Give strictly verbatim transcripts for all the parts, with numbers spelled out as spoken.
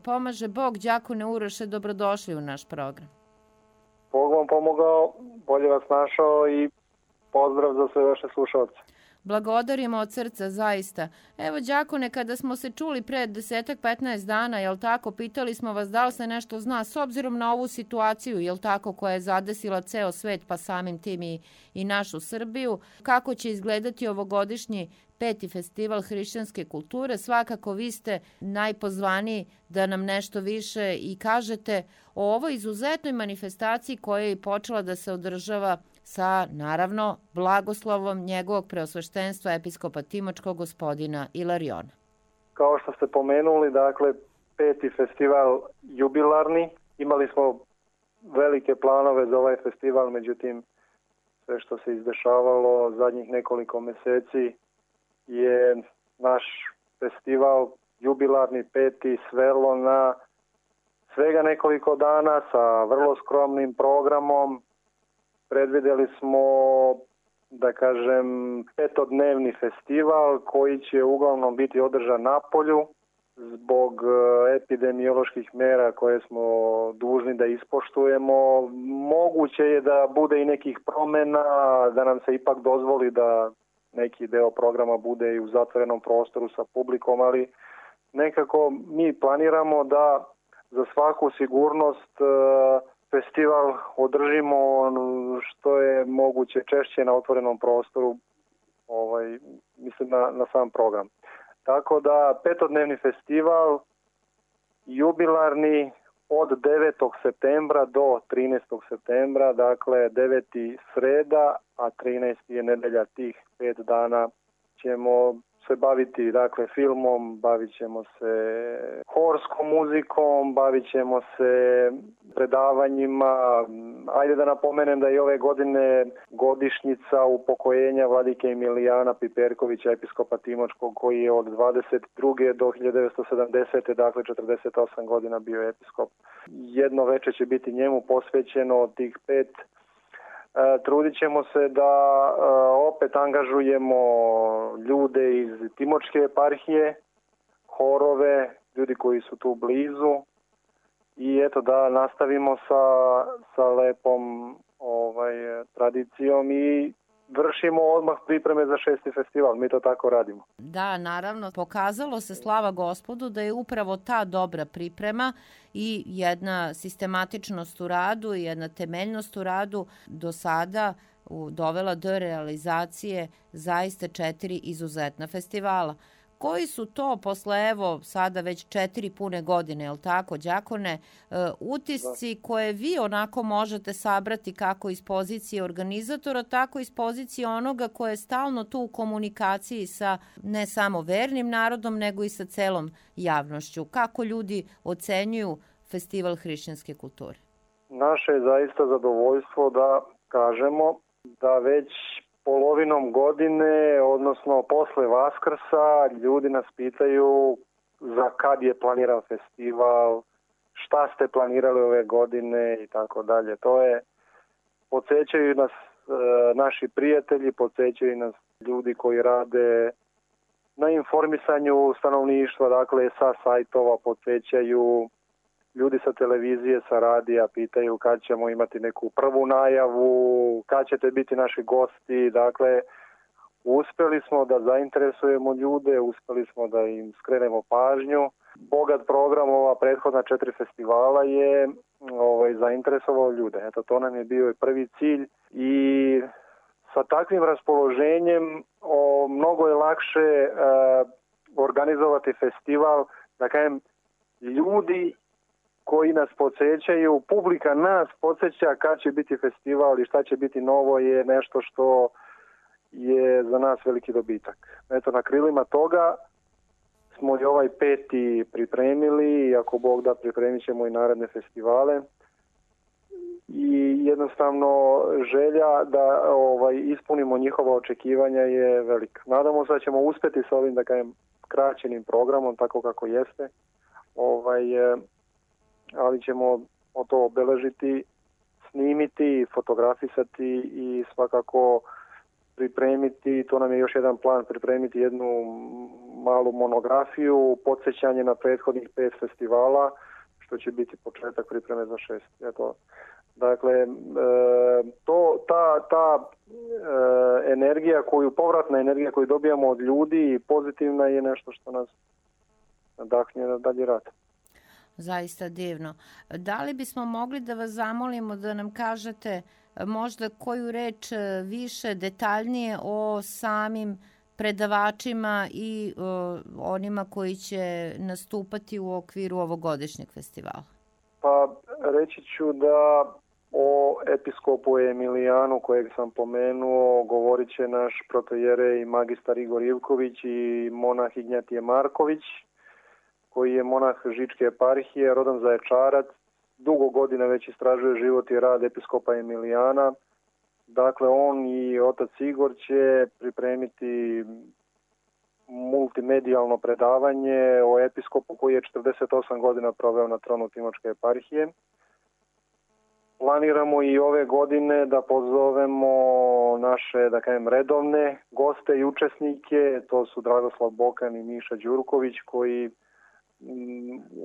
pomaže Bog. Đakone Uroše, dobrodošli u naš program. Bog vam pomogao, bolje vas našao i pozdrav za sve vaše slušalce. Blagodarimo od srca, zaista. Evo, đakone, kada smo se čuli pre desetak, petnaest dana, jel tako, pitali smo vas da li se nešto zna, s obzirom na ovu situaciju, jel tako, koja je zadesila ceo svet, pa samim tim i, i našu Srbiju, kako će izgledati ovogodišnji peti festival hrišćanske kulture. Svakako vi ste najpozvaniji da nam nešto više i kažete o ovoj izuzetnoj manifestaciji koja je počela da se održava sa, naravno, blagoslovom njegovog preosveštenstva episkopa Timočkog gospodina Ilariona. Kao što ste pomenuli, dakle, peti festival jubilarni. Imali smo velike planove za ovaj festival, međutim, sve što se izdešavalo zadnjih nekoliko meseci je naš festival jubilarni peti svelo na svega nekoliko dana sa vrlo skromnim programom. Predvideli smo, da kažem, petodnevni festival koji će uglavnom biti održan na polju zbog epidemioloških mera koje smo dužni da ispoštujemo. Moguće je da bude i nekih promena, da nam se ipak dozvoli da neki deo programa bude i u zatvorenom prostoru sa publikom, ali nekako mi planiramo da za svaku sigurnost festival održimo što je moguće češće na otvorenom prostoru, ovaj, mislim na, na sam program. Tako da petodnevni festival jubilarni od devetog septembra do trinaestog septembra, dakle deveti sreda, a trinaesti je nedelja, tih pet dana ćemo se baviti, dakle, filmom, bavit ćemo se horskom muzikom, bavit ćemo se predavanjima. Ajde da napomenem da je ove godine godišnjica upokojenja vladike Emilijana Piperkovića, episkopa Timočkog, koji je od dvadeset druge do hiljadu devetsto sedamdesete. dakle četrdeset osam godina bio episkop. Jedno veče će biti njemu posvećeno od tih pet. E, trudit ćemo se da e, opet angažujemo ljude iz Timočke eparhije, horove, ljudi koji su tu blizu i eto da nastavimo sa, sa lepom ovaj, tradicijom i vršimo odmah pripreme za šesti festival. Mi to tako radimo. Da, naravno, pokazalo se, slava Gospodu, da je upravo ta dobra priprema i jedna sistematičnost u radu i jedna temeljnost u radu do sada dovela do realizacije zaista četiri izuzetna festivala. Koji su to posle, evo, sada već četiri pune godine, je li tako, đakone, utisci koje vi onako možete sabrati kako iz pozicije organizatora, tako iz pozicije onoga koje je stalno tu u komunikaciji sa ne samo vernim narodom, nego i sa celom javnošću? Kako ljudi ocenjuju festival hrišćanske kulture? Naše je zaista zadovoljstvo da kažemo da već polovinom godine, odnosno posle Vaskrsa, ljudi nas pitaju za kad je planiran festival, šta ste planirali ove godine i tako dalje. To je, podsjećaju nas e, naši prijatelji, podsjećaju nas ljudi koji rade na informisanju stanovništva, dakle sa sajtova, podsjećaju ljudi sa televizije, sa radija, pitaju kad ćemo imati neku prvu najavu, kad ćete biti naši gosti. Dakle, uspeli smo da zainteresujemo ljude, uspeli smo da im skrenemo pažnju. Bogat program ova prethodna četiri festivala je ovaj, zainteresovao ljude. Eto, to nam je bio prvi cilj i sa takvim raspoloženjem o, mnogo je lakše e, organizovati festival, da kažem, ljudi koji nas podsjećaju, publika nas podsjeća kad će biti festival i šta će biti novo je nešto što je za nas veliki dobitak. Eto, na krilima toga smo i ovaj peti pripremili i ako Bog da, pripremit ćemo i naredne festivale. I jednostavno želja da ovaj, ispunimo njihova očekivanja je velika. Nadamo se da ćemo uspjeti sa ovim, da kažem, kraćenim programom, tako kako jeste. Ovaj, ali ćemo to obeležiti, snimiti, fotografisati i svakako pripremiti, to nam je još jedan plan, pripremiti jednu malu monografiju, podsjećanje na prethodnih pet festivala, što će biti početak pripreme za šest. Eto, dakle, e, to, ta, ta e, energija koju, povratna energija koju dobijamo od ljudi i pozitivna je nešto što nas nadahnje na dalji rad. Zaista divno. Da li bismo mogli da vas zamolimo da nam kažete možda koju reč više detaljnije o samim predavačima i o, onima koji će nastupati u okviru ovogodišnjeg festivala? Pa reći ću da o episkopu Emilijanu kojeg sam pomenuo govorit će naš protojerej magistar Igor Ivković i monah Ignjatije Marković, koji je monah Žičke eparhije, rodan Zaječarac, dugo godina već istražuje život i rad episkopa Emilijana. Dakle, on i otac Igor će pripremiti multimedijalno predavanje o episkopu koji je četrdeset osam godina proveo na tronu Timočke eparhije. Planiramo i ove godine da pozovemo naše, da kažem, redovne goste i učesnike, to su Dragoslav Bokan i Miša Đurković, koji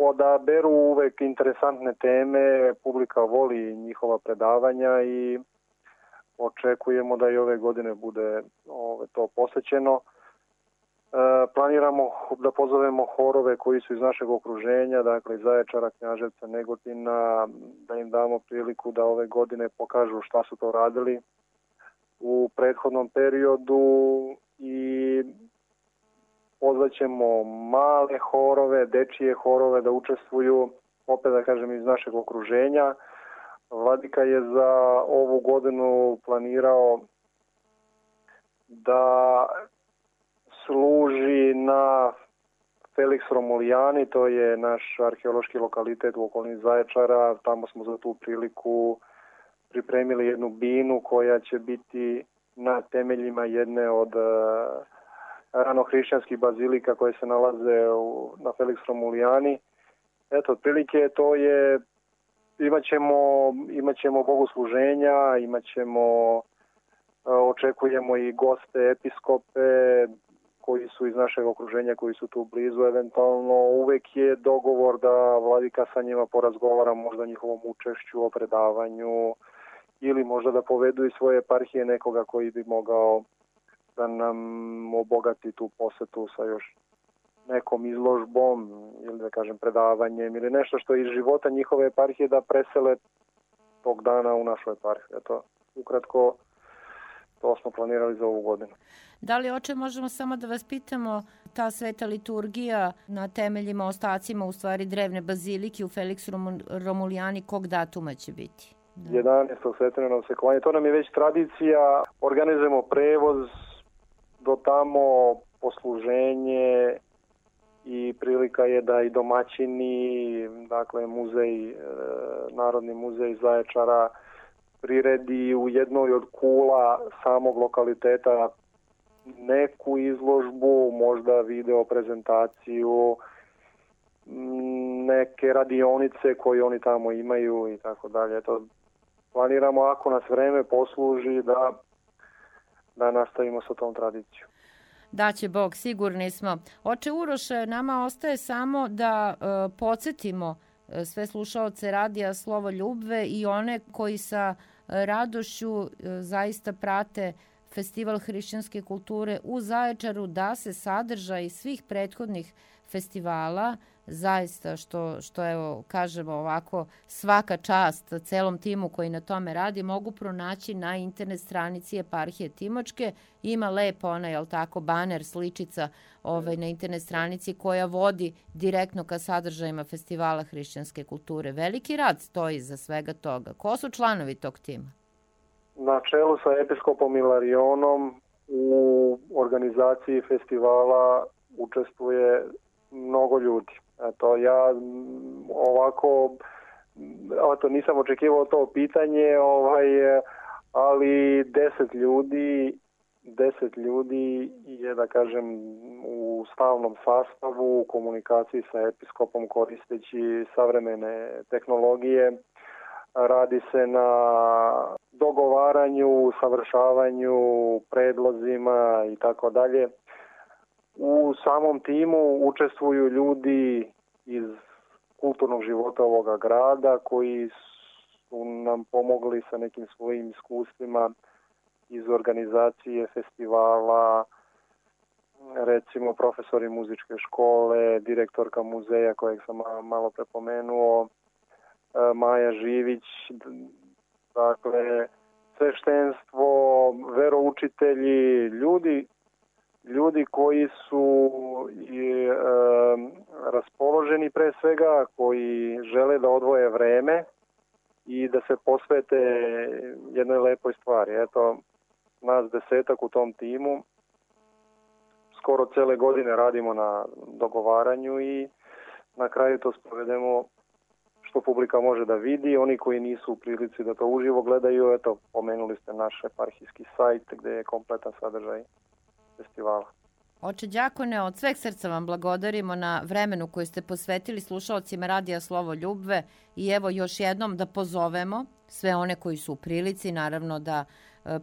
odaberu uvek interesantne teme, publika voli njihova predavanja i očekujemo da i ove godine bude ove, to posvećeno. E, planiramo da pozovemo horove koji su iz našeg okruženja, dakle iz Zaječara, Knjaževca, Negotina, da im damo priliku da ove godine pokažu šta su to radili u prethodnom periodu i pozvaćemo male horove, dečije horove da učestvuju, opet da kažem iz našeg okruženja. Vladika je za ovu godinu planirao da služi na Felix Romulijani, to je naš arheološki lokalitet u okolini Zaječara. Tamo smo za tu priliku pripremili jednu binu koja će biti na temeljima jedne od ranohrišćanskih bazilika koje se nalaze u, na Felix Romulijani. Eto, otprilike to je, imaćemo, imaćemo bogosluženja, imaćemo, očekujemo i goste, episkope koji su iz našeg okruženja, koji su tu blizu eventualno. Uvek je dogovor da vladika sa njima porazgovara možda o njihovom učešću, o predavanju ili možda da povedu iz svoje eparhije nekoga koji bi mogao da nam obogati tu posetu sa još nekom izložbom ili da kažem predavanjem ili nešto što je iz života njihove eparhije da presele tog dana u našu eparhiju. Eto, ukratko, to smo planirali za ovu godinu. Da li, oče, možemo samo da vas pitamo, ta sveta liturgija na temeljima, ostacima, u stvari drevne bazilike u Felix Romulijani, kog datuma će biti? Da. jedanaestog svetljenog sekovanja. To nam je već tradicija. Organizujemo prevoz do tamo, posluženje i prilika je da i domaćini, dakle muzej, Narodni muzej Zaječara priredi u jednoj od kula samog lokaliteta neku izložbu, možda video prezentaciju, neke radionice koje oni tamo imaju i tako dalje. To planiramo, ako nas vreme posluži, da da nastavimo sa tom tradicijom. Daće Bog, sigurni smo. Oče Uroše, nama ostaje samo da e, podsjetimo sve slušaoce radija Slovo Ljubve i one koji sa radošću e, zaista prate Festival hrišćanske kulture u Zaječaru, da se sadržaj svih prethodnih festivala zaista, što, što evo kažemo ovako, svaka čast celom timu koji na tome radi, mogu pronaći na internet stranici eparhije Timočke. Ima lepo ona, jel tako, baner, sličica ovaj, na internet stranici koja vodi direktno ka sadržajima Festivala hrišćanske kulture. Veliki rad stoji za svega toga. Ko su članovi tog tima? Na čelu sa episkopom Ilarionom u organizaciji festivala učestvuje mnogo ljudi. Eto, ja ovako, eto, nisam očekivao to pitanje, ovaj, ali deset ljudi, deset ljudi je, da kažem, u stalnom sastavu, u komunikaciji sa episkopom koristeći savremene tehnologije. radi se na dogovaranju, savršavanju, predlozima i tako dalje. U samom timu učestvuju ljudi iz kulturnog života ovoga grada koji su nam pomogli sa nekim svojim iskustvima iz organizacije festivala, recimo profesori muzičke škole, direktorka muzeja kojeg sam malo prepomenuo, Maja Živić, dakle sveštenstvo, veroučitelji, ljudi ljudi koji su i, e, raspoloženi pre svega, koji žele da odvoje vreme i da se posvete jednoj lepoj stvari. Eto, nas desetak u tom timu, skoro cele godine radimo na dogovaranju i na kraju to sprovedemo što publika može da vidi. Oni koji nisu u prilici da to uživo gledaju, eto, pomenuli ste naš eparhijski sajt gde je kompletan sadržaj festivala. Oče đakone, od sveg srca vam blagodarimo na vremenu koje ste posvetili slušalcima Radija Slovo Ljubve i evo još jednom da pozovemo sve one koji su u prilici, naravno da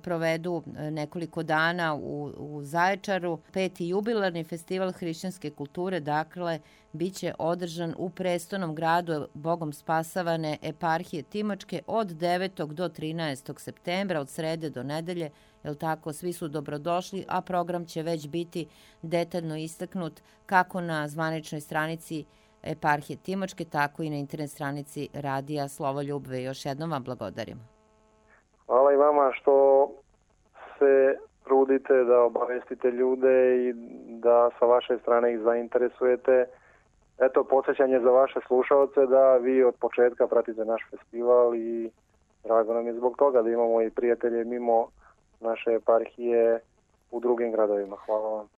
provedu nekoliko dana u, u Zaječaru. Peti jubilarni festival hrišćanske kulture, dakle, bit će održan u prestonom gradu Bogom spasavane eparhije Timočke od devetog do trinaestog septembra, od srede do nedelje. Jel tako, svi su dobrodošli, a program će već biti detaljno istaknut kako na zvaničnoj stranici eparhije Timočke, tako i na internet stranici Radija Slovo Ljubve. Još jednom vam blagodarimo. Hvala i vama što se trudite da obavestite ljude i da sa vaše strane ih zainteresujete. Eto, podsjećanje za vaše slušalce da vi od početka pratite naš festival i drago nam je zbog toga da imamo i prijatelje mimo naše eparhije u drugim gradovima. Hvala vam.